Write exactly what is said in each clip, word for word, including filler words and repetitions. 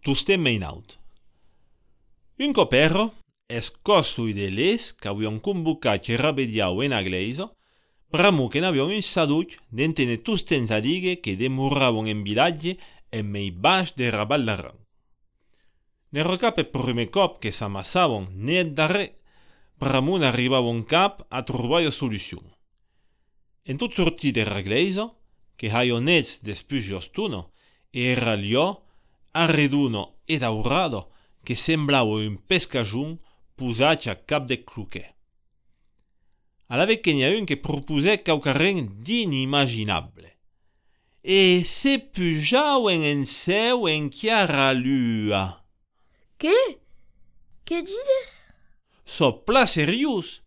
Toustem meinaut. Un copero, escossui de les qu'avion convocat e rabediau en agleiso, pramu che n'avion un saduc d'entene tustens a dighe che demuravon en vilatge en mei baix de raballaran. Ne recap e prime cop che s'amassavon net darrer, pramu n'arribavon cap a trobar solucion. En tot sortit de ragleiso, che haio nets despugios-tuno, era lio, arreduno e daurado, che semblava un pescajun pusat a cap de cluquet. Alave che n'hi ha un che propusè quauquarren d'inimaginable. E se pujauen en seu en chiara lua. Que? Que dides? Sopla serius,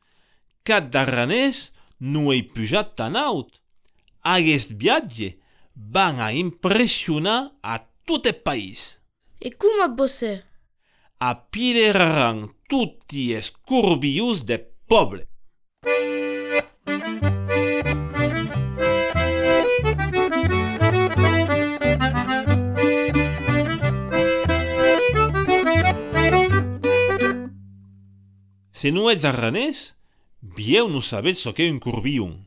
cat darranès no ei pujat tan aut. Aguest viatge van a impressionar a tot el país. E cum bosse? Apideraran tutti es curbius de poble. Se no ets arranès, vieu no sabetz so qu'è un curbiun.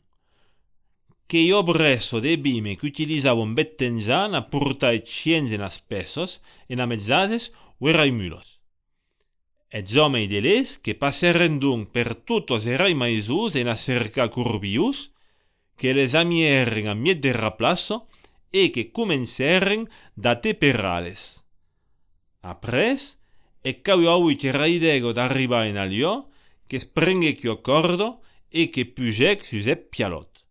Que io bresso de bime qu'utilizavon bettenzan a portar et chiens en as pesos, en amezzases o erai mulos. Et homei de les que passerren donc per tutos erai maisus en a cercar curbius, que les amierren a miet de raplasso e que comencerren da te perales. Apres, e cau aui che raidego d'arribar en alio, que sprenge ch'io cordo e que pugec sus e pialot.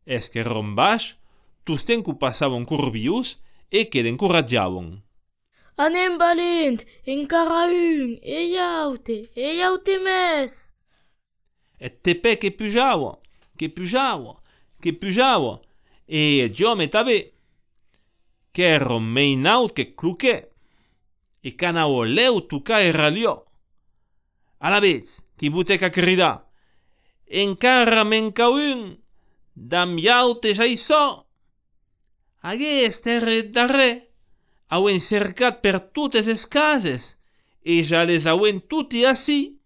Es que rombaix, tusten cu passavon curbius e que l'encoratjavon. Anem valent, encara un, e iaute, e iaute mes. Et te pe que pujavo, que pujavo, que pujavo, e jo me tabe, que ero meinaut que cluquet, e canao leu tuca e ralio. A la vez, qui butec a cridar, encara menca un, dam iaute ja i so. Aguest eret darrer, auen cercat per totes es cases, e ja les auen tutti assi.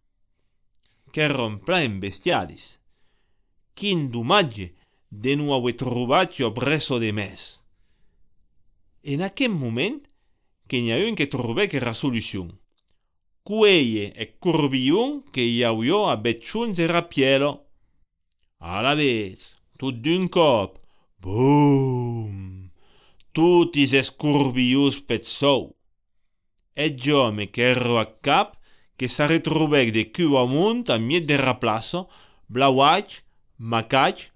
Que rompla en bestiadis. Quin domatge de no haver trobat jo bresso de mes. En aquel moment, que n'hi ha un que trobè que era solucion. Cueye e curbiun que hi hauio a betxuns e rapielo. A la vez, tot d'un cop, boom! Tutis es curbius petzou. Et jo me querro a cap que sa retrobèc de cul amunt a miet de raplasso, blauaig, macaig,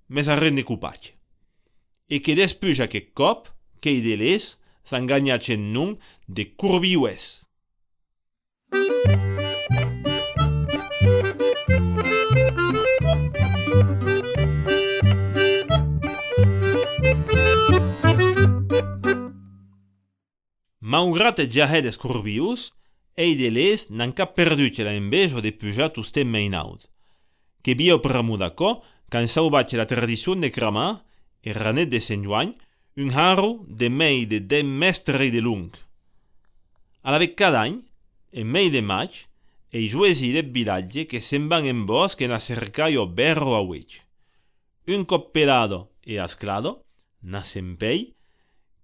mes arren de cupaig. E que despuix aquest cop, que i de les, s'enganyatx en nom de curbiues. Malgrat et jahet es curbius, ei de les n'han cap perdut la envejo de pujar toustem meinaut. Que bio pramu d'aco, can sauvaig la tradicion de cramar, e ranet de Sant Joan, un harro de mei de dem mestre de lung. Alavec cada any, en mei de maig, ei juesi de vilatge que se'n van en bosc en a cercar o berro a uig. Un cop pelado e asclado, nasempei,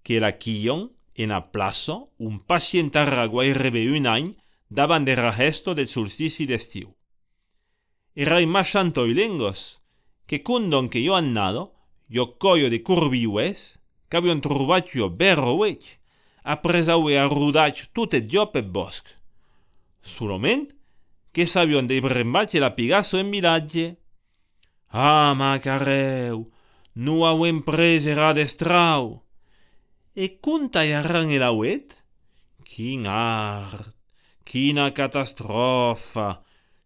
que la quillon en a plazo un pacient arra guairebé un any davant de ragesto del solstici d'estiu. Erai machanto i lengos, que condon que jo han nado, jo coio de curbiues, qu'avion trobat jo berro uig, apresau e arrudatx tot et jo pep bosc. Solament, que s'avion de brembatge la pigasso en vilatge. Ah, macareu, no auem pres era destrau. E conta i arran el auet? Quin art, quina catastrofa,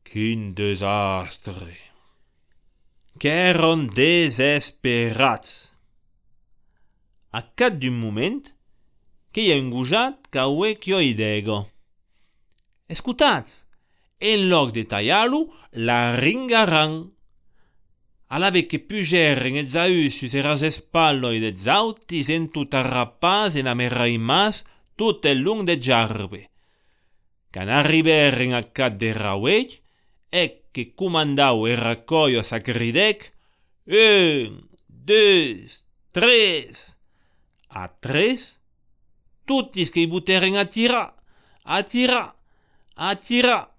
quin desastre. Qu'èron desesperats. A cat d'un moment, que hi ha un gojat qu'auè qu'io idego. Escutatz, en loc de tallar-lo, la ringaran. Alave che pugerren et zaussus eras espalloi de zautis en tot arrapats en amerraimas tot el long de jarbe. Can arriberen a cat de rauech, ec que comandau e racoio sa cridec, un, deux, tres. A tres, tutis que i buteren a tirar, a tirar, a tirar.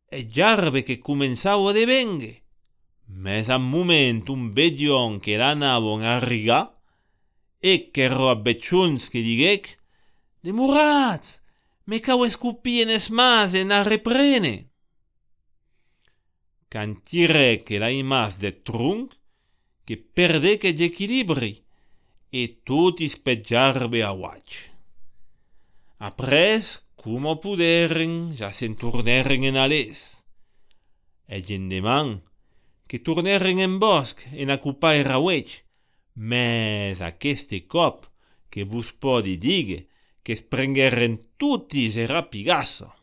E jarbe che comenzau a devenghe. Mes a moment un bedion che l'anavon a rigar, e che ero a becciuns che diguec, demoratz, me cau escupien es mas e n'a reprene. Can tirec e l'ai mas de trunc, che perdec e equilibri, e tutis pe jarbe a uac. Apres, como puderen, ja se'n torneren en alès. E gendeman, que torneren en bosc en acupar e rauech, mes aqueste cop que vos podi digue que es prengueren tutis e rapigasso.